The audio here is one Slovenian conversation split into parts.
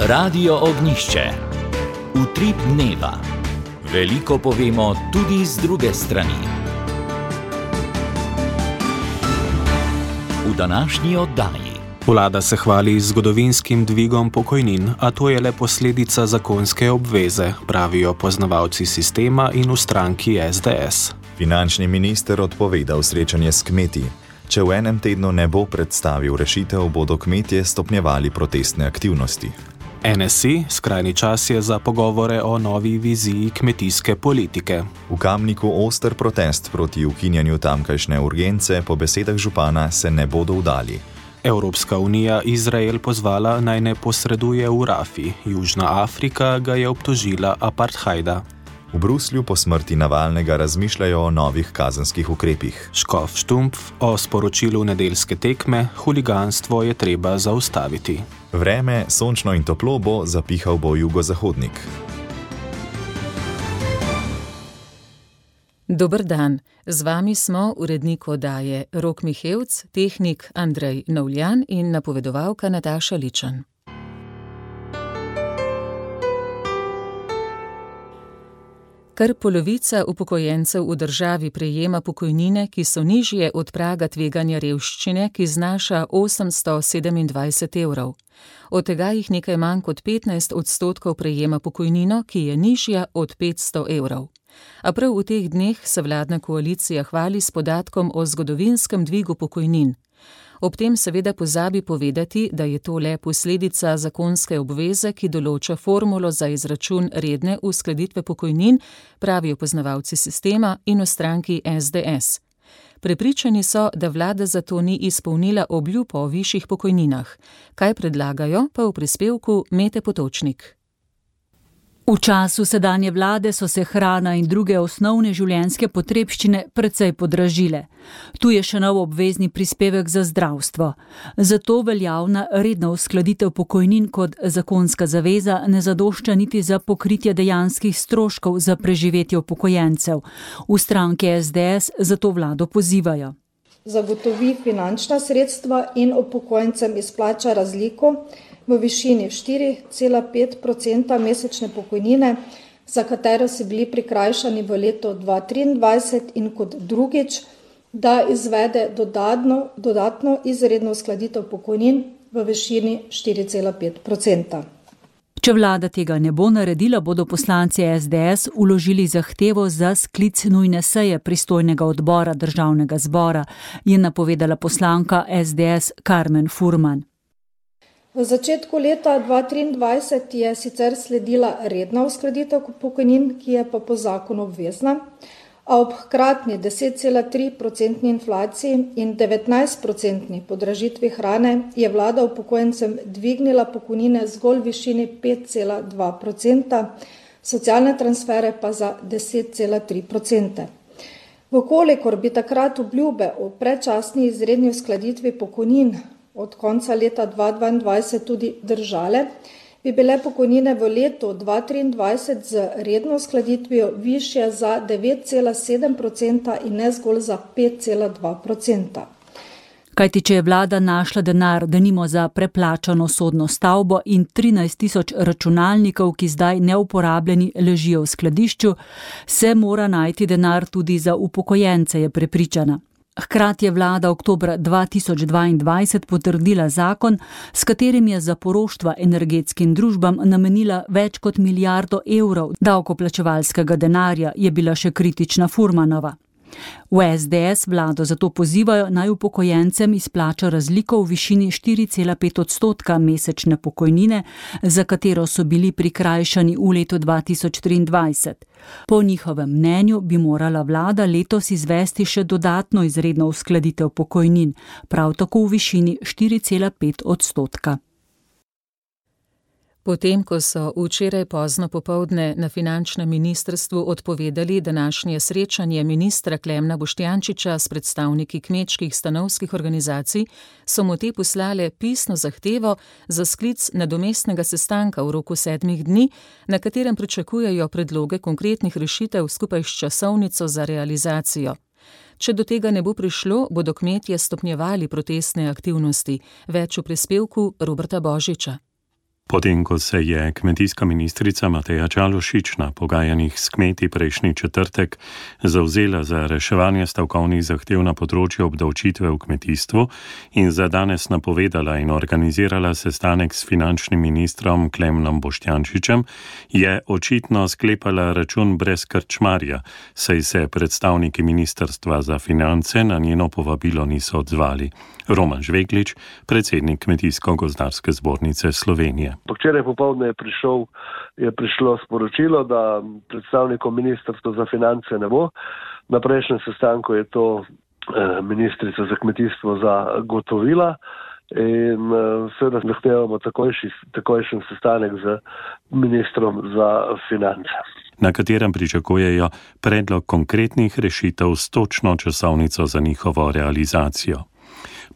Radio Ognjišče. Utrip dneva. Veliko povemo tudi z druge strani. V današnji oddaji. Vlada se hvali z zgodovinskim dvigom pokojnin, a to je le posledica zakonske obveze, pravijo poznavalci sistema in v stranki SDS. Finančni minister odpovedal srečanje s kmeti. Če v enem tednu ne bo predstavil rešitev, bodo kmetje stopnjevali protestne aktivnosti. NSI, skrajni čas je za pogovore o novi viziji kmetijske politike. V Kamniku oster protest proti ukinjanju tamkajšnje urgence po besedah župana se ne bodo vdali. Evropska unija Izrael pozvala naj ne posreduje v Rafi. Južna Afrika ga je obtožila apartheida. V Bruslju po smrti Navalnega razmišljajo o novih kazenskih ukrepih. Škof Štumpf o sporočilu nedeljske tekme: huliganstvo je treba zaustaviti. Vreme, sončno in toplo bo, zapihal bo jugozahodnik. Dober dan, z vami smo urednik oddaje Rok Mihevc, tehnik Andrej Novljan in napovedovalka Nataša Ličan. Kar polovica upokojencev v državi prejema pokojnine, ki so nižje od praga tveganja revščine, ki znaša 827 evrov. Od tega jih nekaj manj kot 15% prejema pokojnino, ki je nižja od 500 evrov. A prav v teh dneh se vladna koalicija hvali s podatkom o zgodovinskem dvigu pokojnin. Ob tem seveda pozabi povedati, da je to le posledica zakonske obveze, ki določa formulo za izračun redne uskladitve pokojnin, pravijo poznavalci sistema in v stranki SDS. Prepričani so, da vlada zato ni izpolnila obljub o višjih pokojninah. Kaj predlagajo, pa v prispevku Mete Potočnik. V času sedanje vlade so se hrana in druge osnovne življenjske potrebščine precej podražile. Tu je še nov obvezni prispevek za zdravstvo. Zato veljavna redna uskladitev pokojnin kot zakonska zaveza ne zadošča niti za pokritje dejanskih stroškov za preživetje upokojencev. V stranki SDS zato vlado pozivajo. Zagotovi finančna sredstva in upokojencem izplača razliko v višini 4,5% mesečne pokojnine, za katero so bili prikrajšani v letu 2023 in kot drugič, da izvede dodatno izredno uskladitev pokojnin v višini 4,5%. Če vlada tega ne bo naredila, bodo poslanci SDS vložili zahtevo za sklic nujne seje pristojnega odbora državnega zbora, je napovedala poslanka SDS Karmen Furman. V začetku leta 2023 je sicer sledila redna uskladitev pokojnin, ki je pa po zakonu obvezna, a ob hkratni 10,3% inflaciji in 19% podražitvi hrane je vlada upokojencem dvignila pokojnine zgolj v višini 5,2%, socialne transfere pa za 10,3%. Vkolikor bi takrat obljube o predčasni izredni uskladitvi pokojnin od konca leta 2022 tudi držale, bi bile pokojnine v letu 2023 z redno uskladitvijo višje za 9,7% in ne zgolj za 5,2%. Kajti če je vlada našla denar, denimo za preplačano sodno stavbo in 13.000 računalnikov, ki zdaj neuporabljeni ležijo v skladišču, se mora najti denar tudi za upokojence, je prepričana. Hkrati je vlada oktobra 2022 potrdila zakon, s katerim je za poroštva energetskim družbam namenila več kot milijardo evrov davkoplačevalskega denarja, je bila še kritična Furmanova. V SDS vlado zato pozivajo, naj upokojencem izplača razliko v višini 4,5% mesečne pokojnine, za katero so bili prikrajšani v letu 2023. Po njihovem mnenju bi morala vlada letos izvesti še dodatno izredno uskladitev pokojnin, prav tako v višini 4,5%. Potem, ko so včeraj pozno popoldne na finančnem ministrstvu odpovedali današnje srečanje ministra Klemna Boštjančiča s predstavniki kmečkih stanovskih organizacij, so mu te poslale pisno zahtevo za sklic nadomestnega sestanka v roku 7 dni, na katerem pričakujejo predloge konkretnih rešitev skupaj s časovnico za realizacijo. Če do tega ne bo prišlo, bodo kmetje stopnjevali protestne aktivnosti. Več v prispevku Roberta Božiča. Potem, ko se je kmetijska ministrica Mateja Čalušić na pogajanjih s kmeti prejšnji četrtek zavzela za reševanje stavkovnih zahtev na področju obdavčitve v kmetijstvu in za danes napovedala in organizirala sestanek s finančnim ministrom Klemnom Boštjančičem, je očitno sklepala račun brez krčmarja, saj se predstavniki Ministrstva za finance na njeno povabilo niso odzvali. Roman Žveglič, predsednik Kmetijsko-gozdarske zbornice Slovenije. Včeraj popoldne je prišlo sporočilo, da predstavnikom Ministrstva za finance ne bo. Na prejšnjem sestanku je to ministrica za kmetijstvo zagotovila in seveda zahtevamo takojšen sestanek z ministrom za finance, na katerem pričakujejo predlog konkretnih rešitev s točno časovnico za njihovo realizacijo.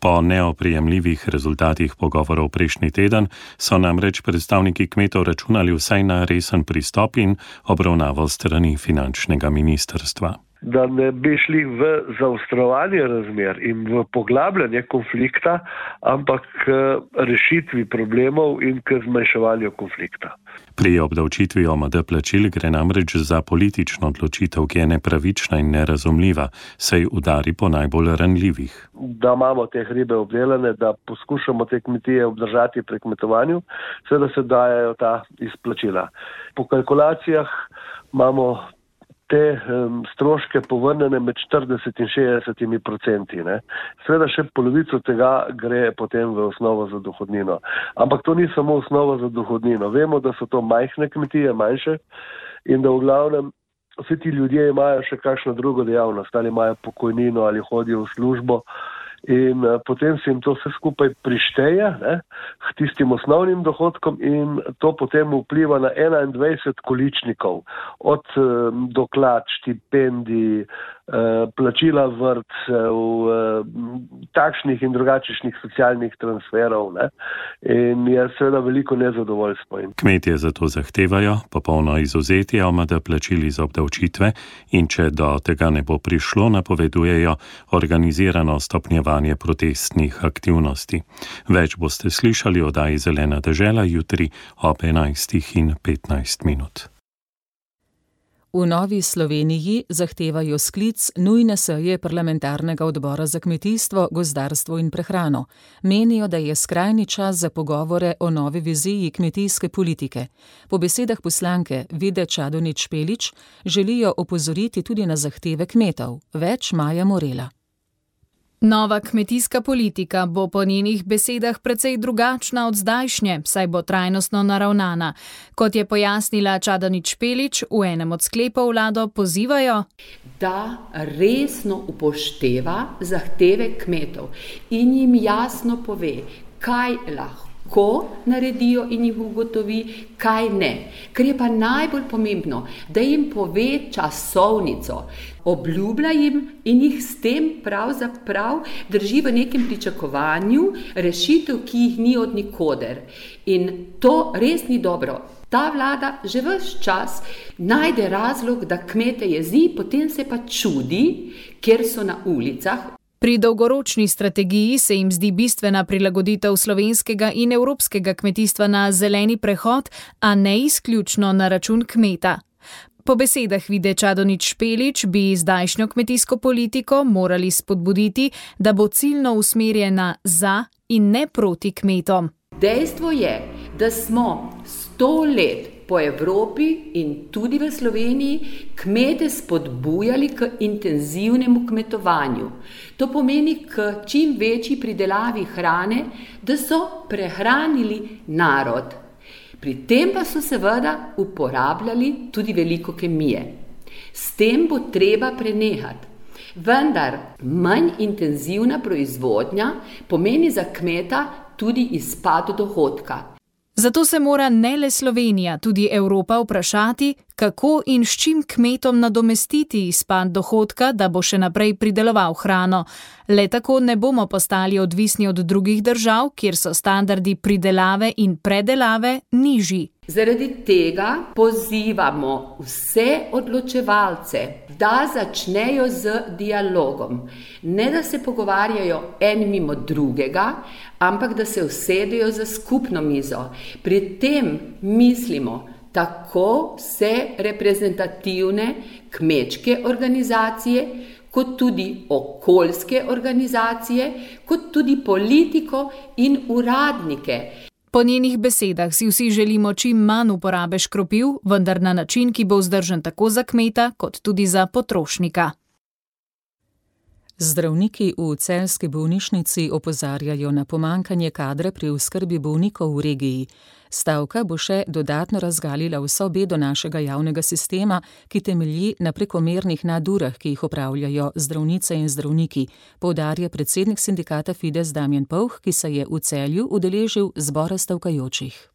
Po neoprijemljivih rezultatih pogovorov prejšnji teden so namreč predstavniki kmetov računali vsaj na resen pristop in obravnavo strani finančnega ministrstva. Da ne bi šli v zaostrovanje razmer in v poglabljanje konflikta, ampak k rešitvi problemov in k zmanjševanju konflikta. Pri obdavčitvi OMD plačil gre namreč za politično odločitev, ki je nepravična in nerazumljiva, saj udari po najbolj ranljivih. Da imamo te hribe obdelane, da poskušamo te kmetije obdržati pri kmetovanju, seveda se dajajo ta izplačila. Po kalkulacijah imamo te stroške povrnjene med 40 in 60%. Seveda še polovico tega gre potem v osnovo za dohodnino. Ampak to ni samo osnova za dohodnino. Vemo, da so to majhne kmetije, manjše, in da v glavnem vsi ti ljudje imajo še kakšno drugo dejavnost, ali imajo pokojnino, ali hodijo v službo. In potem se jim to vse skupaj prišteje k tistim osnovnim dohodkom in to potem vpliva na 21 količnikov, od doklad, štipendij, plačila vrtcev, takšnih in drugačnih socialnih transferov, in je seveda veliko nezadovoljstvo. Kmetje zato zahtevajo popolno izvzetje OMD plačil iz obdavčitve in če do tega ne bo prišlo, napovedujejo organizirano stopnjevanje protestnih aktivnosti. Več boste slišali o oddaji Zelena dežela jutri ob 11:15. V Novi Sloveniji zahtevajo sklic nujne seje parlamentarnega odbora za kmetijstvo, gozdarstvo in prehrano. Menijo, da je skrajni čas za pogovore o novi viziji kmetijske politike. Po besedah poslanke Vide Čadonič Špelič želijo opozoriti tudi na zahteve kmetov. Več Maja Morela. Nova kmetijska politika bo po njenih besedah precej drugačna od zdajšnje, saj bo trajnostno naravnana. Kot je pojasnila Čadonič Špelič, v enem od sklepov vlado pozivajo, da resno upošteva zahteve kmetov in jim jasno pove, kaj lahko naredijo in jih ugotovi, kaj ne. Ker je pa najbolj pomembno, da jim pove časovnico, obljublja jim in jih s tem pravzaprav drži v nekem pričakovanju rešitev, ki jih ni od nikoder. In to res ni dobro. Ta vlada že ves čas najde razlog, da kmete jezi, potem se pa čudi, ker so na ulicah. Pri dolgoročni strategiji se jim zdi bistvena prilagoditev slovenskega in evropskega kmetijstva na zeleni prehod, a ne izključno na račun kmeta. Po besedah Vide Čadonič Špelič bi zdajšnjo kmetijsko politiko morali spodbuditi, da bo ciljno usmerjena za in ne proti kmetom. Dejstvo je, da smo 100 let po Evropi in tudi v Sloveniji kmete spodbujali k intenzivnemu kmetovanju. To pomeni k čim večji pridelavi hrane, da so prehranili narod. Pri tem pa so seveda uporabljali tudi veliko kemije. S tem bo treba prenehati. Vendar manj intenzivna proizvodnja pomeni za kmeta tudi izpad dohodka. Zato se mora ne le Slovenija, tudi Evropa vprašati, kako in s čim kmetom nadomestiti izpad dohodka, da bo še naprej prideloval hrano. Le tako ne bomo postali odvisni od drugih držav, kjer so standardi pridelave in predelave nižji. Zaradi tega pozivamo vse odločevalce, da začnejo z dialogom. Ne da se pogovarjajo en mimo drugega, ampak da se usedejo za skupno mizo. Pri tem mislimo tako vse reprezentativne kmečke organizacije, kot tudi okoljske organizacije, kot tudi politiko in uradnike. Po njenih besedah si vsi želimo čim manj uporabe škropiv, vendar na način, ki bo vzdržen tako za kmeta, kot tudi za potrošnika. Zdravniki v celjski bolnišnici opozarjajo na pomanjkanje kadra pri oskrbi bolnikov v regiji. Stavka bo še dodatno razgalila vso bedo našega javnega sistema, ki temelji na prekomernih nadurah, ki jih opravljajo zdravnice in zdravniki, poudarja predsednik sindikata Fides Damjan Povh, ki se je v Celju udeležil zbora stavkajočih.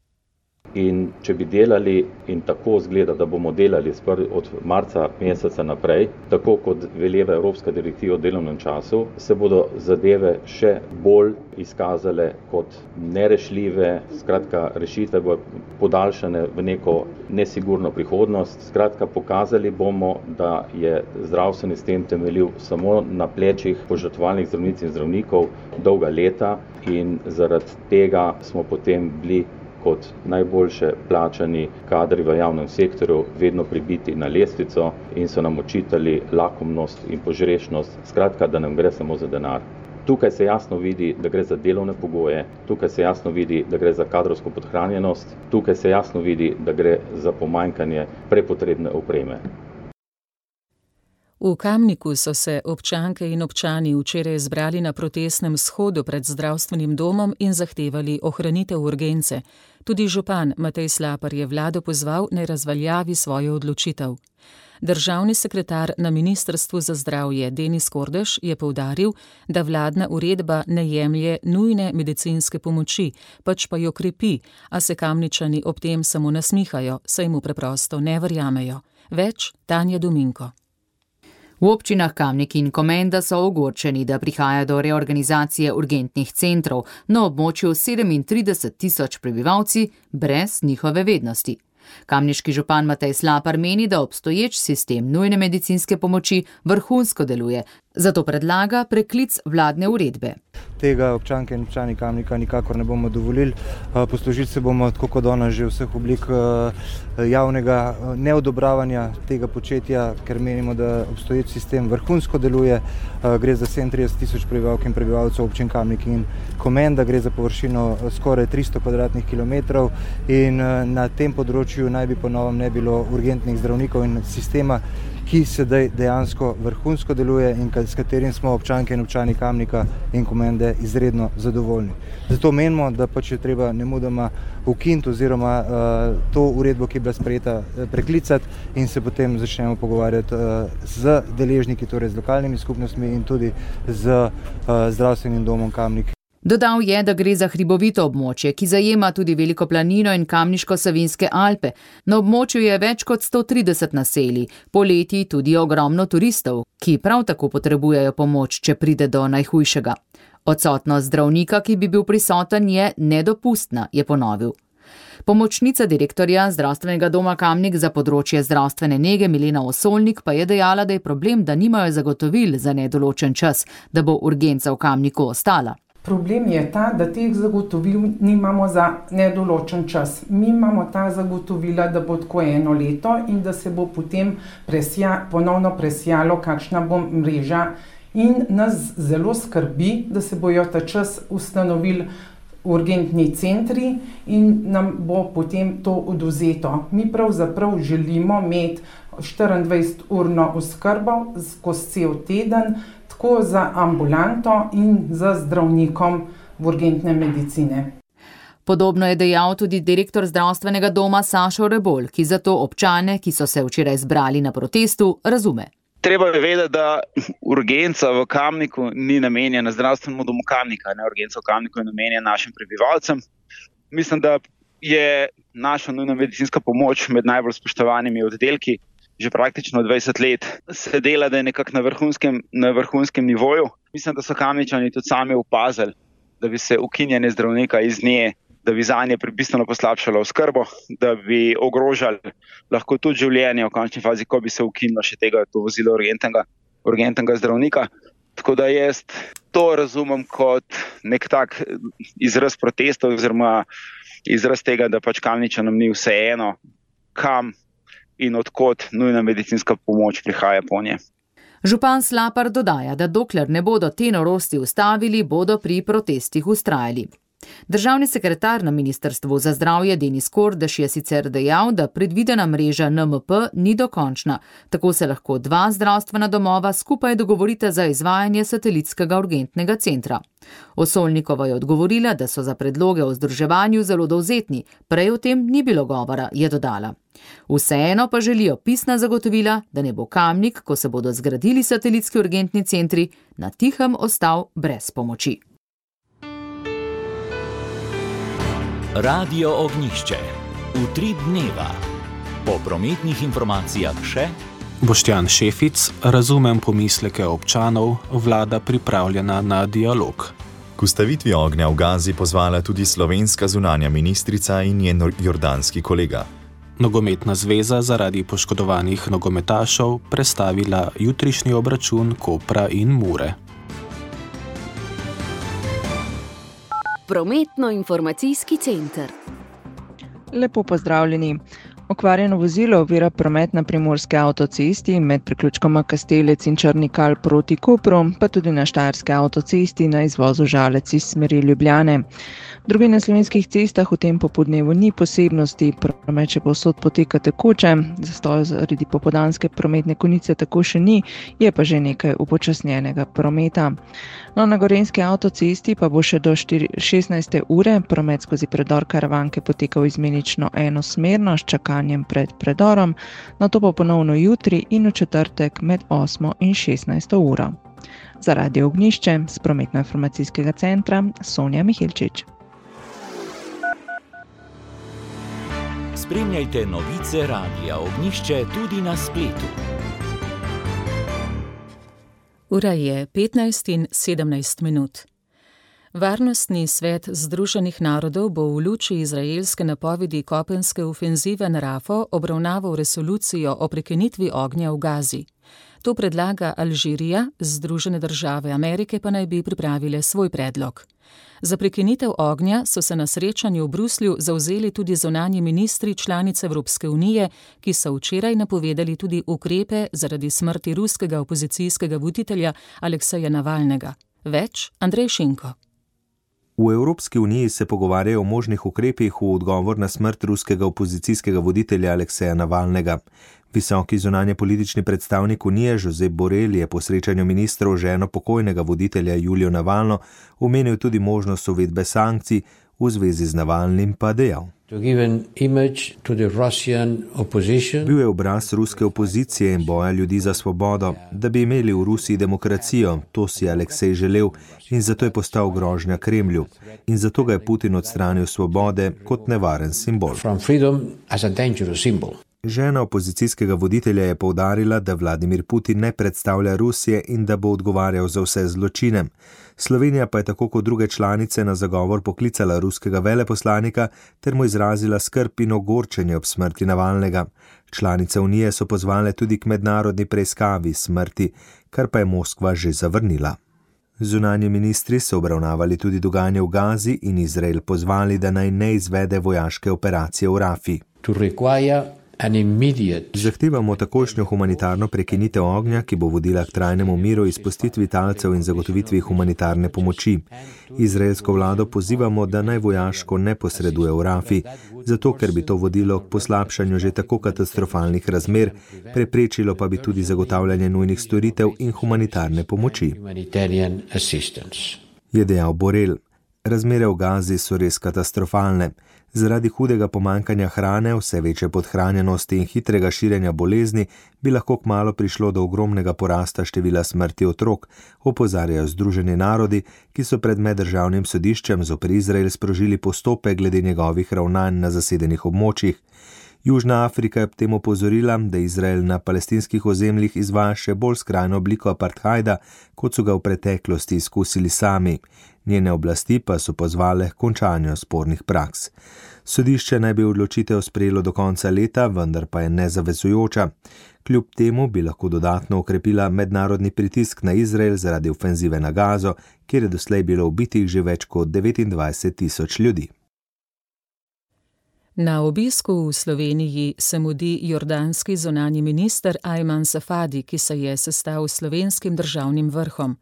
In če bi delali, in tako zgleda, da bomo delali od marca meseca naprej, tako kot veleva Evropska direktiva o delovnem času, se bodo zadeve še bolj izkazale kot nerešljive, skratka rešitve bodo podaljšane v neko nesigurno prihodnost. Skratka pokazali bomo, da je zdravstveni sistem temeljil samo na plečih požrtvovalnih zdravnic in zdravnikov dolga leta in zaradi tega smo potem bili kot najboljše plačani kadri v javnem sektorju vedno pribiti na lestvico in so nam očitali lakomnost in požrešnost, skratka, da nam gre samo za denar. Tukaj se jasno vidi, da gre za delovne pogoje, tukaj se jasno vidi, da gre za kadrovsko podhranjenost, tukaj se jasno vidi, da gre za pomanjkanje prepotrebne opreme. V Kamniku so se občanke in občani včeraj zbrali na protestnem shodu pred zdravstvenim domom in zahtevali ohranitev urgence. Tudi župan Matej Slapar je vlado pozval, naj razveljavi svojo odločitev. Državni sekretar na Ministrstvu za zdravje Denis Kordež je poudaril, da vladna uredba ne jemlje nujne medicinske pomoči, pač pa jo krepi, a se Kamničani ob tem samo nasmihajo, saj mu preprosto ne verjamejo. Več Tanja Dominko. V občinah Kamnik in Komenda so ogorčeni, da prihaja do reorganizacije urgentnih centrov na območju 37.000 prebivalci brez njihove vednosti. Kamniški župan Matej Slapar meni, da obstoječ sistem nujne medicinske pomoči vrhunsko deluje, zato predlaga preklic vladne uredbe. Tega občanke in občani Kamnika nikakor ne bomo dovolili. Poslužili se bomo tako kot danes že vseh oblik javnega neodobravanja tega početja, ker menimo, da obstoječ sistem vrhunsko deluje. Gre za 37.000 prebivalk in prebivalcev občin Kamnik in Komenda, gre za površino skoraj 300 kvadratnih kilometrov in na tem področju naj bi po novem ne bilo urgentnih zdravnikov in sistema, ki sedaj dejansko vrhunsko deluje in s katerim smo občanke in občani Kamnika in Komende izredno zadovoljni. Zato menimo, da pač je treba nemudoma ukiniti oziroma to uredbo, ki je bila sprejeta, preklicati in se potem začnemo pogovarjati z deležniki, torej z lokalnimi skupnostmi in tudi z zdravstvenim domom Kamnik. Dodal je, da gre za hribovito območje, ki zajema tudi Veliko planino in Kamniško-Savinjske Alpe. Na območju je več kot 130 naselij, poleti tudi ogromno turistov, ki prav tako potrebujejo pomoč, če pride do najhujšega. Odsotnost zdravnika, ki bi bil prisoten, je nedopustna, je ponovil. Pomočnica direktorja zdravstvenega doma Kamnik za področje zdravstvene nege Milena Osolnik pa je dejala, da je problem, da nimajo zagotovil za nedoločen čas, da bo urgenca v Kamniku ostala. Problem je ta, da teh zagotovil nimamo za nedoločen čas. Mi imamo ta zagotovila, da bo tako 1 leto in da se bo potem ponovno presijalo, kakšna bo mreža. In nas zelo skrbi, da se bojo ta čas ustanovili urgentni centri in nam bo potem to odvzeto. Mi pravzaprav želimo imeti 24-urno oskrbo skozi cel teden, tako za ambulanto in za zdravnikom v urgentne medicine. Podobno je dejal tudi direktor zdravstvenega doma Sašo Rebolj, ki zato občane, ki so se včeraj zbrali na protestu, razume. Treba je vedeti, da urgenca v Kamniku ni namenjena zdravstvenemu domu Kamnika, ne, urgenca v Kamniku je namenjena našim prebivalcem. Mislim, da je naša nujna medicinska pomoč med najbolj spoštovanimi oddelki. Že praktično 20 let se dela, da je nekako na vrhunskem nivoju. Mislim, da so Kamničani tudi sami opazili, da bi se ukinjanje zdravnika iz nje da bi zanje bistveno poslabšalo oskrbo, da bi ogrožali lahko tudi življenje v končni fazi, ko bi se ukinilo še to vozilo urgentnega zdravnika. Tako da jaz to razumem kot nek tak izraz protesta oziroma izraz tega, da pač Kamničanom ni vseeno, kam in odkot nujna medicinska pomoč prihaja po nje. Župan Slapar dodaja, da dokler ne bodo te norosti ustavili, bodo pri protestih vztrajali. Državni sekretar na Ministrstvu za zdravje Denis Kordež je sicer dejal, da predvidena mreža NMP ni dokončna, tako se lahko 2 zdravstvena domova skupaj dogovorita za izvajanje satelitskega urgentnega centra. Osolnikova je odgovorila, da so za predloge o združevanju zelo dovzetni, prej o tem ni bilo govora, je dodala. Vseeno pa želijo pisna zagotovila, da ne bo Kamnik, ko se bodo zgradili satelitski urgentni centri, na tihem ostal brez pomoči. Radio Ognjišče. Utrip dneva. Po prometnih informacijah še Boštjan Šefic, razumem pomisleke občanov, vlada pripravljena na dialog. K ustavitvi ognja v Gazi pozvala tudi slovenska zunanja ministrica in njen jordanski kolega. Nogometna zveza zaradi poškodovanih nogometašev prestavila jutrišnji obračun Kopra in Mure. Prometno-informacijski center. Lepo pozdravljeni. Okvarjeno vozilo ovira promet na primorski avtocesti med priključkoma Kastelec in Črnikal proti Kopru, pa tudi na štajerski avtocesti na izvozu Žalec iz smeri Ljubljane. Drugi na slovenskih cestah v tem popodnevu ni posebnosti, promet še povsod poteka tekoče, zastoj zaradi popoldanske prometne konice tako še ni, je pa že nekaj upočasnjenega prometa. No, na gorenjski avtocesti pa bo še do 16. ure promet skozi predor Karavanke potekal izmenično enosmerno s čakanjem pred predorom, nato pa ponovno jutri in v četrtek med 8. in 16. uro. Za Radio Ognjišče z prometno-informacijskega centra Sonja Mihilčič. Spremljajte novice Radia Ognjišče tudi na spletu. Ura je 15:17. Varnostni svet Združenih narodov bo v luči izraelske napovedi kopenske ofenzive na Rafo obravnaval resolucijo o prekinitvi ognja v Gazi. To predlaga Alžirija, Združene države Amerike pa naj bi pripravile svoj predlog. Za prekinitev ognja so se na srečanju v Bruslju zavzeli tudi zunanji ministri članic Evropske unije, ki so včeraj napovedali tudi ukrepe zaradi smrti ruskega opozicijskega voditelja Alekseja Navalnega. Več Andrej Šinko. V Evropski uniji se pogovarjajo o možnih ukrepih v odgovor na smrt ruskega opozicijskega voditelja Alekseja Navalnega. Visoki zunanjepolitični predstavnik unije Josep Borrell je po srečanju ministrov ženo pokojnega voditelja Julijo Navalno omenil tudi možnost uvedbe sankcij, v zvezi z Navalnim pa dejal. Bil je obraz ruske opozicije in boja ljudi za svobodo, da bi imeli v Rusiji demokracijo, to si je Aleksej želel in zato je postal grožnja Kremlju. In zato ga je Putin odstranil svobode kot nevaren simbol. Žena opozicijskega voditelja je poudarila, da Vladimir Putin ne predstavlja Rusije in da bo odgovarjal za vse zločine. Slovenija pa je tako kot druge članice na zagovor poklicala ruskega veleposlanika ter mu izrazila skrb in ogorčenje ob smrti Navalnega. Članice unije so pozvale tudi k mednarodni preiskavi smrti, kar pa je Moskva že zavrnila. Zunanji ministri so obravnavali tudi dogajanje v Gazi in Izrael pozvali, da naj ne izvede vojaške operacije v Rafi. Zahtevamo takošnjo humanitarno prekinitev ognja, ki bo vodila k trajnemu miru, izpustitvi talcev in zagotovitvi humanitarne pomoči. Izraelsko vlado pozivamo, da naj vojaško ne posreduje v Rafi, zato ker bi to vodilo k poslabšanju že tako katastrofalnih razmer, preprečilo pa bi tudi zagotavljanje nujnih storitev in humanitarne pomoči. Je dejal Borrell. Razmere v Gazi so res katastrofalne. Zaradi hudega pomankanja hrane, vse večje podhranjenosti in hitrega širjenja bolezni bi lahko kmalu prišlo do ogromnega porasta števila smrti otrok, opozarjajo Združeni narodi, ki so pred meddržavnim sodiščem zoper Izrael sprožili postopek glede njegovih ravnanj na zasedenih območjih. Južna Afrika je ob tem opozorila, da Izrael na palestinskih ozemljih izvaja še bolj skrajno obliko apartheida, kot so ga v preteklosti izkusili sami. Njene oblasti pa so pozvale k končanju spornih praks. Sodišče naj bi odločitev sprejelo do konca leta, vendar pa je nezavezujoča. Kljub temu bi lahko dodatno okrepila mednarodni pritisk na Izrael zaradi ofenzive na Gazo, kjer je doslej bilo ubitih že več kot 29.000 ljudi. Na obisku v Sloveniji se mudi jordanski zunanji minister Ajman Safadi, ki se je sestal s slovenskim državnim vrhom.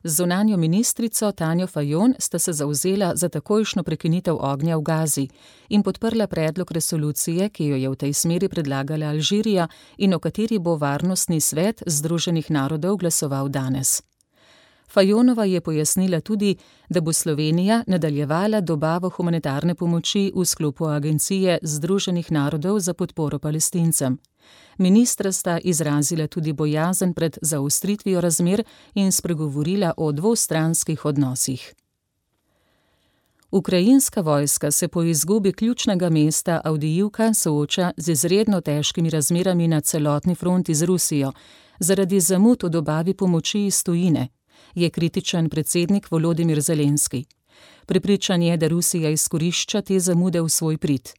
Z zunanjo ministrico Tanjo Fajon sta se zavzela za takojšnjo prekinitev ognja v Gazi in podprla predlog resolucije, ki jo je v tej smeri predlagala Alžirija in o kateri bo Varnostni svet Združenih narodov glasoval danes. Fajonova je pojasnila tudi, da bo Slovenija nadaljevala dobavo humanitarne pomoči v sklopu Agencije Združenih narodov za podporo Palestincem. Ministra sta izrazila tudi bojazen pred zaostritvijo razmer in spregovorila o dvostranskih odnosih. Ukrajinska vojska se po izgubi ključnega mesta Avdijivka sooča z izredno težkimi razmerami na celotni fronti z Rusijo, zaradi zamud v dobavi pomoči iz tujine, je kritičen predsednik Volodimir Zelenski. Prepričan je, da Rusija izkorišča te zamude v svoj prid.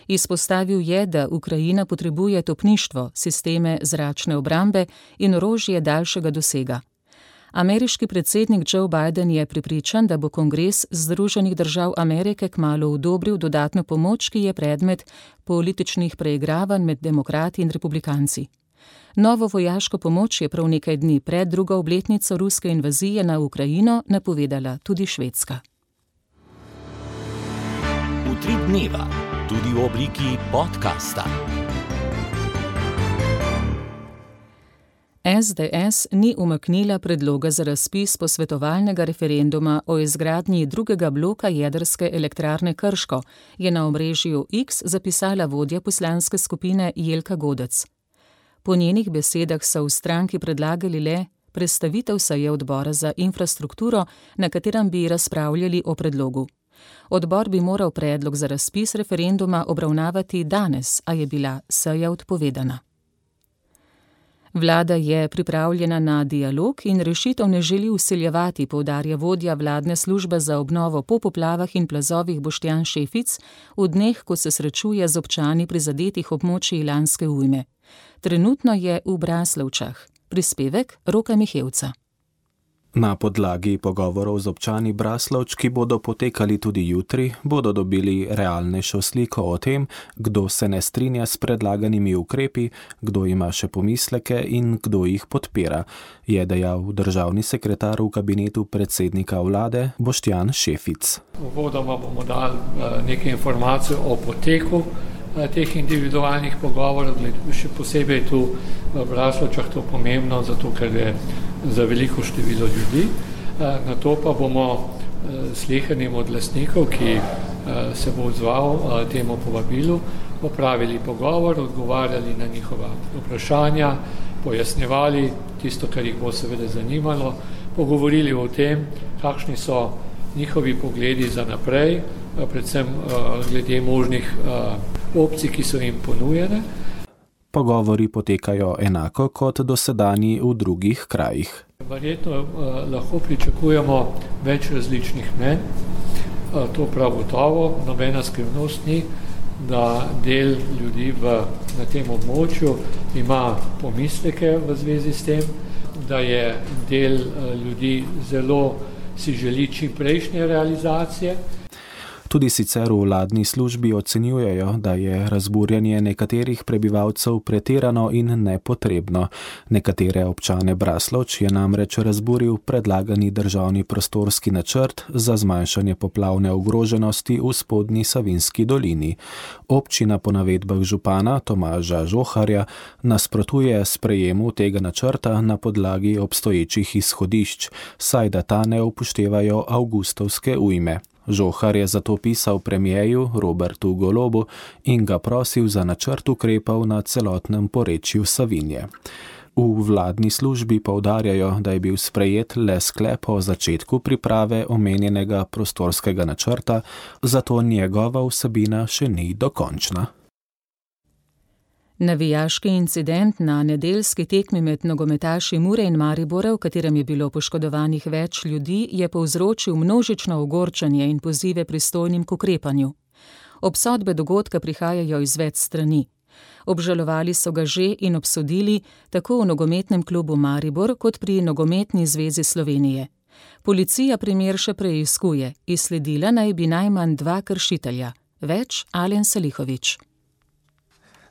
Izpostavil je, da Ukrajina potrebuje topništvo, sisteme zračne obrambe in orožje daljšega dosega. Ameriški predsednik Joe Biden je prepričan, da bo Kongres Združenih držav Amerike kmalu odobril dodatno pomoč, ki je predmet političnih preigravanj med demokrati in republikanci. Novo vojaško pomoč je prav nekaj dni pred drugo obletnico ruske invazije na Ukrajino napovedala tudi Švedska. Utrip dneva, tudi v obliki podcasta. SDS ni umaknila predloga za razpis posvetovalnega referenduma o izgradnji drugega bloka jedrske elektrarne Krško, je na omrežju X zapisala vodja poslanske skupine Jelka Godec. Po njenih besedah so v stranki predlagali le prestavitev seje odbora za infrastrukturo, na katerem bi razpravljali o predlogu. Odbor bi moral predlog za razpis referenduma obravnavati danes, a je bila seja odpovedana. Vlada je pripravljena na dialog in rešitev ne želi vsiljevati, poudarja vodja vladne službe za obnovo po poplavah in plazovih Boštjan Šefic v dneh, ko se srečuje z občani prizadetih območij lanske ujme. Trenutno je v Braslovčah. Prispevek Roka Mihevca. Na podlagi pogovorov z občani Braslovč, ki bodo potekali tudi jutri, bodo dobili realnejšo sliko o tem, kdo se ne strinja s predlaganimi ukrepi, kdo ima še pomisleke in kdo jih podpira, je dejal državni sekretar v kabinetu predsednika vlade Boštjan Šefic. Uvodoma bomo dali nekaj informacij o poteku teh individualnih pogovorov, še posebej tu v Braslovčah to pomembno, zato ker je za veliko število ljudi. Na to pa bomo slehernim od lastnikov, ki se bo odzval temu povabilu, opravili pogovor, odgovarjali na njihova vprašanja, pojasnjevali tisto, kar jih bo seveda zanimalo, pogovorili o tem, kakšni so njihovi pogledi za naprej, predvsem glede možnih opcij, ki so jim ponujene. Pogovori potekajo enako kot dosedanji v drugih krajih. Verjetno lahko pričakujemo več različnih mnenj, to prav gotovo, nobena skrivnost ni, da del ljudi na tem območju ima pomisleke v zvezi s tem, da je del ljudi zelo si želi čim prejšnje realizacije. Tudi sicer v vladni službi ocenjujejo, da je razburjanje nekaterih prebivalcev pretirano in nepotrebno. Nekatere občane Braslovč je namreč razburil predlagani državni prostorski načrt za zmanjšanje poplavne ogroženosti v spodnji Savinjski dolini. Občina po navedbah župana Tomaža Žoharja nasprotuje sprejemu tega načrta na podlagi obstoječih izhodišč, saj da ta ne upoštevajo avgustovske ujme. Žohar je zato pisal premijeju Robertu Golobu in ga prosil za načrt ukrepov na celotnem porečju Savinje. V vladni službi poudarjajo, da je bil sprejet le sklep o začetku priprave omenjenega prostorskega načrta, zato njegova vsebina še ni dokončna. Navijaški incident na nedeljski tekmi med nogometaši Mure in Maribora, v katerem je bilo poškodovanih več ljudi, je povzročil množično ogorčenje in pozive pristojnim k ukrepanju. Obsodbe dogodka prihajajo iz več strani. Obžalovali so ga že in obsodili tako v nogometnem klubu Maribor kot pri Nogometni zvezi Slovenije. Policija primer še preiskuje, izsledila naj bi najmanj 2 kršitelja. Več Alen Salihović.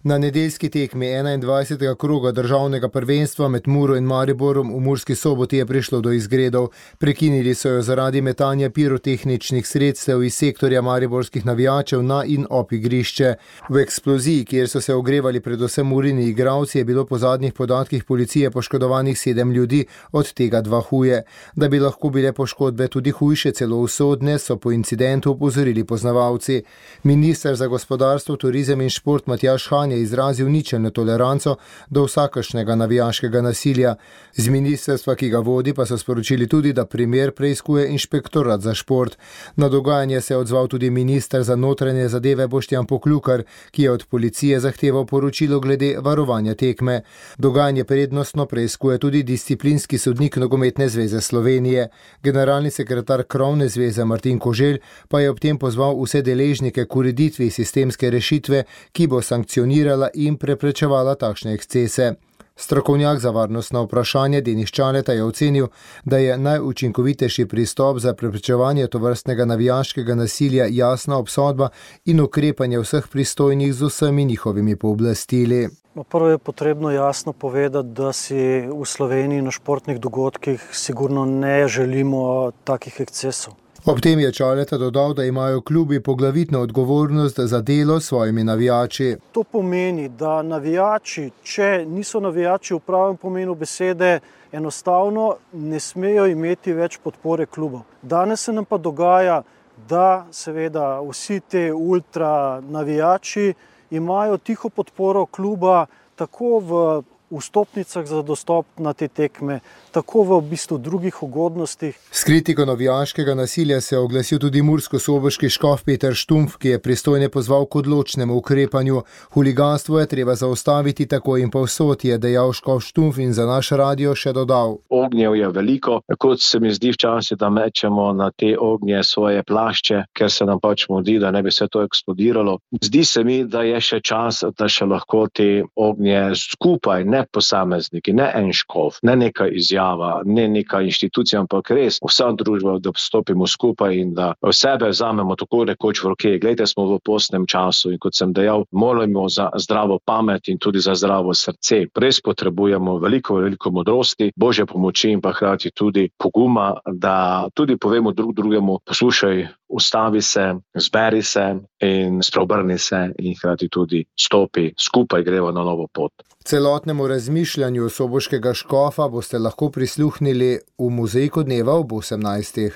Na nedeljski tekmi 21. kroga državnega prvenstva med Muro in Mariborom v Murski Soboti je prišlo do izgredov. Prekinili so jo zaradi metanja pirotehničnih sredstev iz sektorja mariborskih navijačev na in ob igrišče. V eksploziji, kjer so se ogrevali predvsem Murini igralci, je bilo po zadnjih podatkih policije poškodovanih 7 ljudi, od tega 2 huje. Da bi lahko bile poškodbe tudi hujše, celo usodne, so po incidentu opozorili poznavalci. Minister za gospodarstvo, turizem in šport Matjaž Han je izrazil ničelno toleranco do vsakršnega navijaškega nasilja. Z ministrstva, ki ga vodi, pa so sporočili tudi, da primer preiskuje inšpektorat za šport. Na dogajanje se je odzval tudi minister za notranje zadeve Boštjan Poklukar, ki je od policije zahteval poročilo glede varovanja tekme. Dogajanje prednostno preiskuje tudi disciplinski sodnik Nogometne zveze Slovenije. Generalni sekretar Krovne zveze Martin Koželj pa je ob tem pozval vse deležnike k ureditvi sistemske rešitve, ki bo sankcionirala in preprečevala takšne ekscese. Strokovnjak za varnostno vprašanje Denis Čaleta je ocenil, da je najučinkovitejši pristop za preprečevanje tovrstnega navijaškega nasilja jasna obsodba in ukrepanje vseh pristojnih z vsemi njihovimi pooblastili. Prvo je potrebno jasno povedati, da si v Sloveniji na športnih dogodkih sigurno ne želimo takih ekscesov. Ob tem je Čaleta dodal, da imajo klubi poglavitno odgovornost za delo s svojimi navijači. To pomeni, da navijači, če niso navijači v pravem pomenu besede, enostavno ne smejo imeti več podpore klubov. Danes se nam pa dogaja, da seveda vsi te ultra navijači imajo tiho podporo kluba tako v vstopnicah za dostop na te tekme, tako v bistvu drugih ugodnostih. S kritiko navijaškega nasilja se je oglasil tudi murskosoboški škof Peter Štumpf, ki je pristojne pozval k odločnemu ukrepanju. Huliganstvo je treba zaustaviti tako in povsod, je dejal škof Štumpf in za naš radio še dodal. Ognjev je veliko, kot se mi zdi včasih, da mečemo na te ognje svoje plašče, ker se nam pač mudi, da ne bi se to eksplodiralo. Zdi se mi, da je še čas, da še lahko te ognje skupaj, ne posamezniki, ne en škof, ne neka izjava, ne neka inštitucija, ampak res vsa družba, da stopimo skupaj in da sebe vzamemo tako rekoč v roke. Glejte, smo v postnem času in kot sem dejal, molimo za zdravo pamet in tudi za zdravo srce. Res potrebujemo veliko modrosti, Božje pomoči in pa hkrati tudi poguma, da tudi povemo drugemu, poslušaj, ustavi se, zberi se in spreobrni se in hkrati tudi stopi, skupaj gremo na novo pot. Celotnemu razmišljanju soboškega škofa boste lahko prisluhnili v Muzejku dneva ob 18.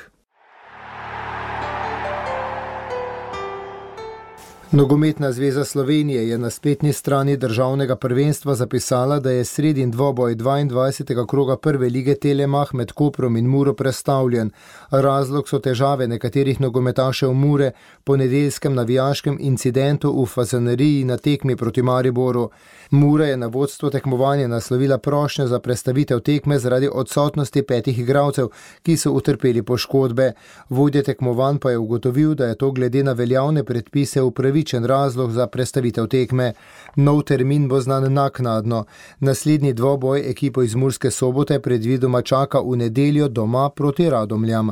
Nogometna zveza Slovenije je na spletni strani državnega prvenstva zapisala, da je sredin dvoboj 22. kroga prve lige Telemach med Koprom in Muro prestavljen. Razlog so težave nekaterih nogometašev Mure po nedeljskem navijaškem incidentu v Fazaneriji na tekmi proti Mariboru. Mura je na vodstvo tekmovanja naslovila prošnjo za prestavitev tekme zaradi odsotnosti 5 igralcev, ki so utrpeli poškodbe. Vodja tekmovanj pa je ugotovil, da je to glede na veljavne predpise upravičen razlog za prestavitev tekme. Nov termin bo znan naknadno. Naslednji dvoboj ekipo iz Murske Sobote predvidoma čaka v nedeljo doma proti Radomljam.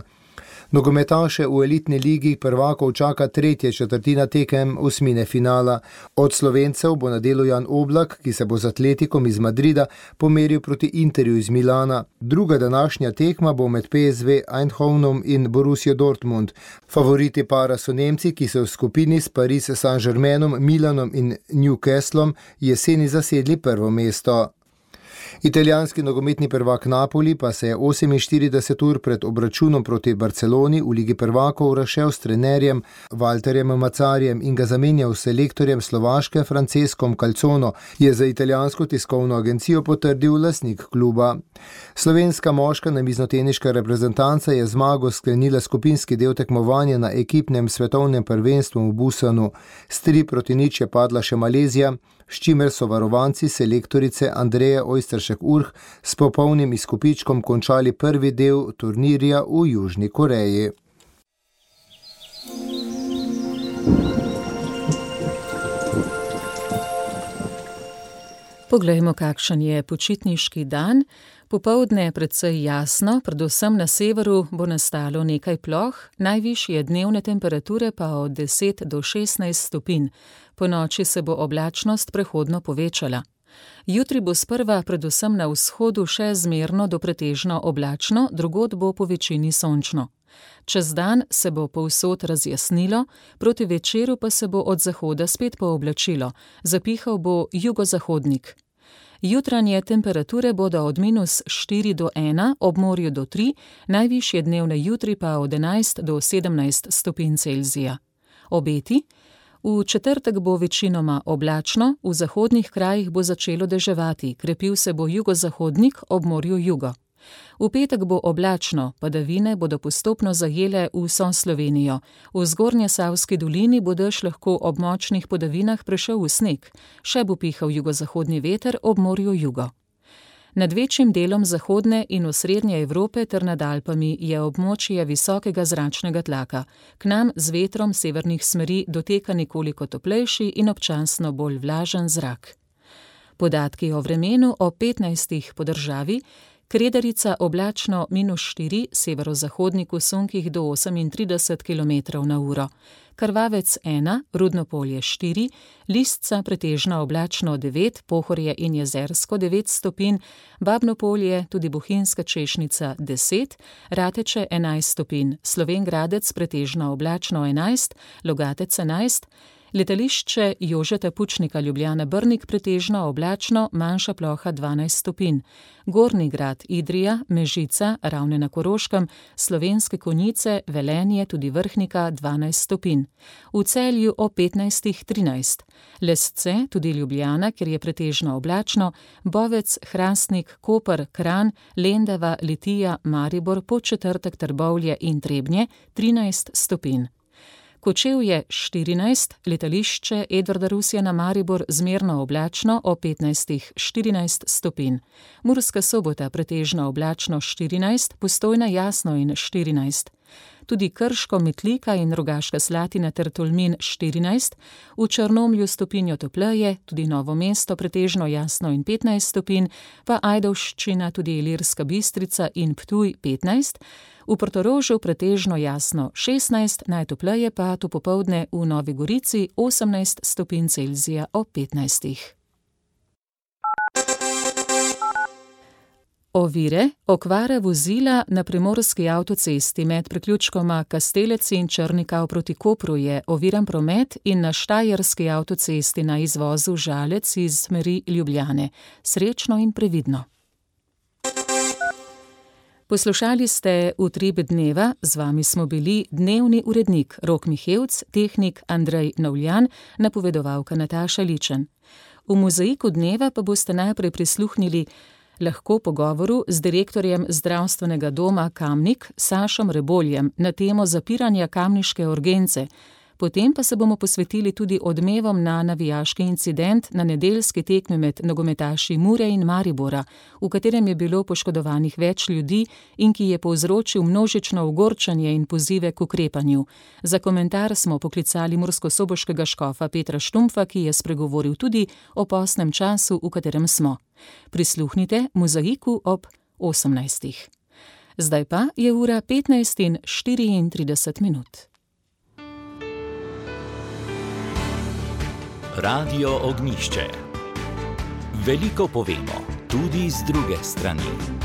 Nogometaše v elitni ligi prvakov čaka 3. četrtina tekem osmine finala. Od Slovencev bo na delu Jan Oblak, ki se bo z Atletikom iz Madrida pomeril proti Interju iz Milana. Druga današnja tekma bo med PSV Eindhovenom in Borussia Dortmund. Favoriti para so Nemci, ki so v skupini s Paris Saint-Germainom, Milanom in Newcastlom jeseni zasedli prvo mesto. Italijanski nogometni prvak Napoli pa se je 48 ur pred obračunom proti Barceloni v Ligi prvakov razšel s trenerjem Walterjem Mazzarijem in ga zamenjal s selektorjem Slovaške Francescom Calzono, je za italijansko tiskovno agencijo potrdil lastnik kluba. Slovenska moška namiznoteniška reprezentanca je zmago sklenila skupinski del tekmovanja na ekipnem svetovnem prvenstvu v Busanu. S 3-0 je padla še Malezija, s čimer so varovanci selektorice Andreje Ojsteršek-Urh s popolnim izkupičkom končali prvi del turnirja v Južni Koreji. Poglejmo, kakšen je počitniški dan. Popoldne precej jasno, predvsem na severu bo nastalo nekaj ploh, najvišje dnevne temperature pa od 10 do 16 stopinj. Ponoči se bo oblačnost prehodno povečala. Jutri bo sprva predvsem na vzhodu še zmerno do pretežno oblačno, drugod bo po večini sončno. Čez dan se bo povsod razjasnilo, proti večeru pa se bo od zahoda spet pooblačilo, zapihal bo jugozahodnik. Jutranje temperature bodo od -4 do 1, ob morju do 3, najvišje dnevne jutri pa od 11 do 17 stopinj Celzija. Obeti: v četrtek bo večinoma oblačno, v zahodnih krajih bo začelo deževati, krepil se bo jugozahodnik, ob morju jugo. V petek bo oblačno, padavine bodo postopno zajele vso Slovenijo. V Zgornjesavski dolini bo dež lahko ob močnih padavinah prešel v sneg, še bo pihal jugozahodni veter, ob morju jugo. Nad večjim delom zahodne in osrednje Evrope ter nad Alpami je območje visokega zračnega tlaka. K nam z vetrom severnih smeri doteka nekoliko toplejši in občasno bolj vlažen zrak. Podatki o vremenu o 15 po državi: Kredarica oblačno -4, severozahodnik v sunkih do 38 km/h, Krvavec 1, Rudnopolje 4, Listca pretežno oblačno 9, Pohorje in Jezersko 9 stopinj, Babnopolje, tudi Bohinjska Češnica 10, Rateče 11 stopinj, Slovenj Gradec pretežno oblačno 11, Logatec 11, Letališče Jožeta Pučnika Ljubljana Brnik pretežno oblačno, manjša ploha 12 stopinj, Gornji Grad, Idrija, Mežica, Ravne na Koroškem, Slovenske Konjice, Velenje, tudi Vrhnika 12 stopinj, v Celju o 15-13, Lesce, tudi Ljubljana, kjer je pretežno oblačno, Bovec, Hrastnik, Koper, Kranj, Lendava, Litija, Maribor, Podčetrtek, Trbovlje in Trebnje 13 stopinj. Kočevje 14, letališče Edvarda Rusjana Maribor zmerno oblačno o 15-14 stopinj. Murska Sobota pretežno oblačno 14, Postojna jasno in 14. Tudi Krško, Metlika in Rogaška Slatina ter Tolmin 14, v Črnomlju stopinjo topleje, tudi Novo mesto pretežno jasno in 15 stopinj, pa Ajdovščina, tudi Ilirska Bistrica in Ptuj 15, v Portorožu pretežno jasno 16, najtopleje pa to popoldne v Novi Gorici 18 stopinj Celzija ob 15. Ovire, okvara vozila na primorski avtocesti med priključkoma Kastelec in Črnikav proti Kopru je oviran promet in na štajerski avtocesti na izvozu Žalec iz smeri Ljubljane. Srečno in previdno. Poslušali ste Utrip dneva, z vami smo bili dnevni urednik Rok Mihevc, tehnik Andrej Novljan, napovedovalka Nataša Ličen. V mozaiku dneva pa boste najprej prisluhnili lahko pogovoru z direktorjem zdravstvenega doma Kamnik Sašom Reboljem na temo zapiranja kamniške urgence. Potem pa se bomo posvetili tudi odmevom na navijaški incident na nedeljski tekmi med nogometaši Mure in Maribora, v katerem je bilo poškodovanih več ljudi in ki je povzročil množično ogorčenje in pozive k ukrepanju. Za komentar smo poklicali murskosoboškega škofa Petra Štumpfa, ki je spregovoril tudi o postnem času, v katerem smo. Prisluhnite mozaiku ob 18. Zdaj pa je ura 15:34. Radio Ognjišče. Veliko povemo, tudi z druge strani.